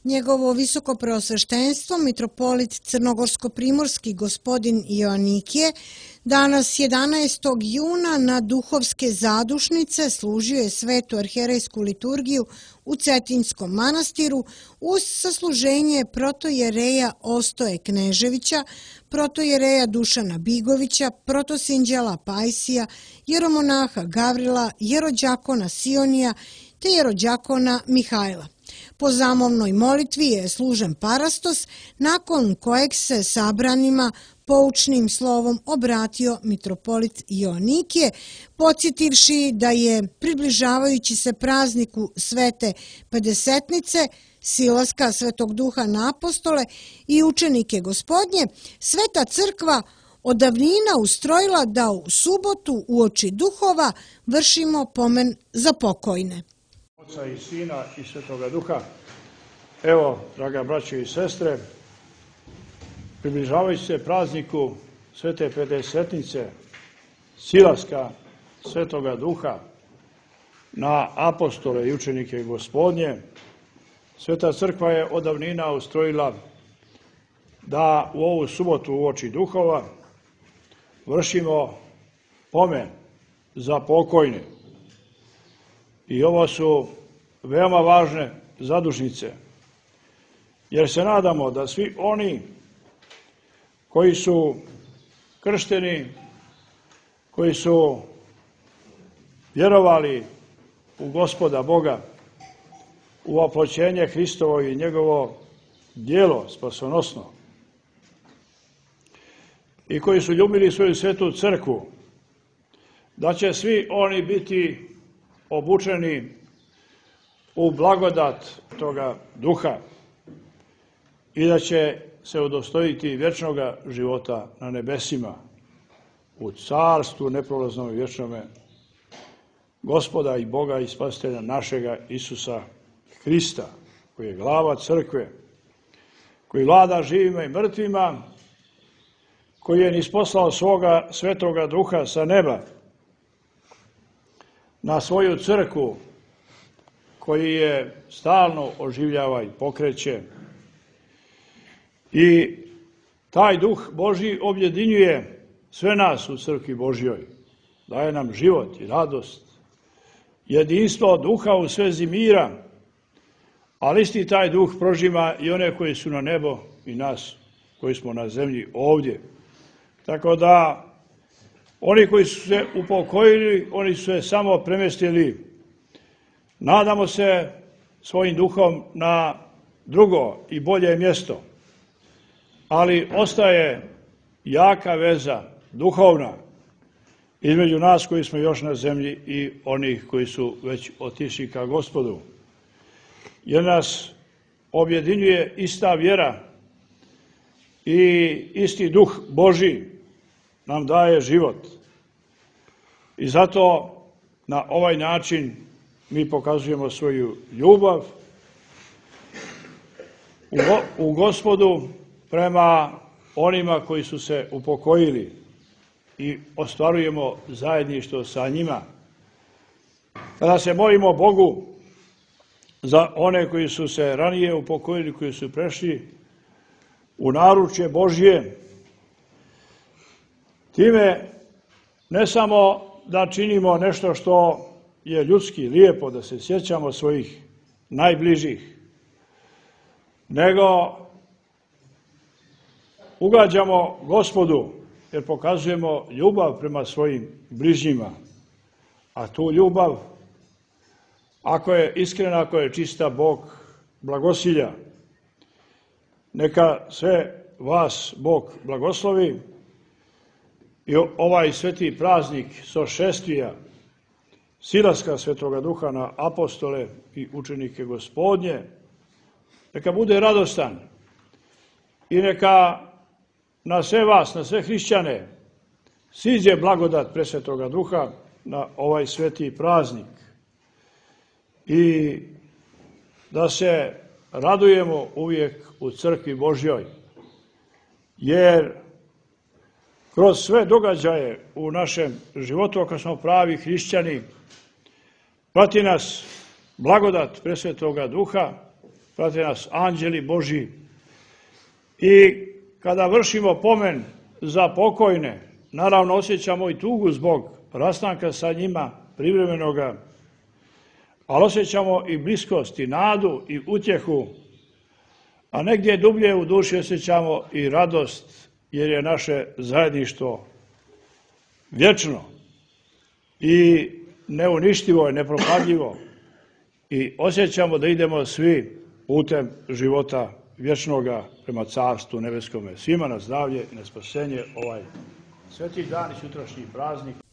Njegovo visokopreosveštenstvo, mitropolit crnogorsko-primorski gospodin Joanikije, danas 11. juna na Duhovske zadušnice služio je svetu arhijerejsku liturgiju u Cetinjskom manastiru uz sasluženje protojereja Ostoje Kneževića, protojereja Dušana Bigovića, protosinđela Pajsija, jeromonaha Gavrila, jerođakona Sionija te jerođakona Mihajla. Po zamovnoj molitvi je služen parastos, nakon kojeg se sabranima poučnim slovom obratio mitropolit Joanikije, podsjetivši da je, približavajući se prazniku Svete Pedesetnice, silaska Svetog Duha na apostole i učenike Gospodnje, Sveta crkva od davnina ustrojila da u subotu uoči duhova vršimo pomen za pokojne. Oca i Sina i Svetoga Duha. Evo, draga braćo i sestre, približavajući se prazniku Svete Pedesetnice, silaska Svetoga Duha na apostole i učenike Gospodnje, Sveta crkva je od davnina ustrojila da u ovu subotu uoči duhova vršimo pomen za pokojne. I ovo su veoma važne zadušnice, jer se nadamo da svi oni koji su kršteni, koji su vjerovali u Gospoda Boga, u oploćenje Hristovo i njegovo djelo spasonosno, i koji su ljubili svoju svetu crkvu, da će svi oni biti obučeni u blagodat toga duha i da će se udostojiti vječnoga života na nebesima, u carstvu neprolaznom i vječnome Gospoda i Boga i Spasitelja našega Isusa Hrista, koji je glava crkve, koji vlada živima i mrtvima, koji je nisposlao svoga svetoga duha sa neba na svoju crkvu, koji je stalno oživljava i pokreće. I taj duh Božji objedinjuje sve nas u crkvi Božjoj, daje nam život i radost, jedinstvo duha u svezi mira, ali isti taj duh prožima i one koji su na nebo i nas koji smo na zemlji ovdje. Tako da oni koji su se upokojili, oni su se samo premjestili, nadamo se, svojim duhom na drugo i bolje mjesto. Ali ostaje jaka veza, duhovna, između nas koji smo još na zemlji i onih koji su već otišli ka Gospodu. Jer nas objedinjuje ista vjera i isti duh Božji nam daje život. I zato na ovaj način mi pokazujemo svoju ljubav u Gospodu prema onima koji su se upokojili i ostvarujemo zajedništvo sa njima. Kada se molimo Bogu za one koji su se ranije upokojili, koji su prešli u naručje Božje, time ne samo da činimo nešto što je ljudski lijepo, da se sjećamo svojih najbližih, nego ugađamo Gospodu, jer pokazujemo ljubav prema svojim bližnjima. A tu ljubav, ako je iskrena, ako je čista, Bog blagosilja. Neka sve vas Bog blagoslovi i ovaj sveti praznik sošestvija, silaska Svetoga Duha na apostole i učenike Gospodnje, neka bude radostan i neka na sve vas, na sve hrišćane, siđe blagodat Presvetoga Duha na ovaj sveti praznik i da se radujemo uvijek u crkvi Božjoj, jer kroz sve događaje u našem životu, ako smo pravi hrišćani, prati nas blagodat Presvetoga Duha prate nas anđeli Božji. I kada vršimo pomen za pokojne, naravno osjećamo i tugu zbog rastanka sa njima privremenoga, ali osjećamo i bliskost, i nadu, i utjehu, a negdje dublje u duši osjećamo i radost, jer je naše zajedništvo vječno i neuništivo, nepropadljivo, i osjećamo da idemo svi putem života vječnoga prema Carstvu nebeskome. Svima na zdravlje i na spasenje ovaj sveti dan i sutrašnji praznik.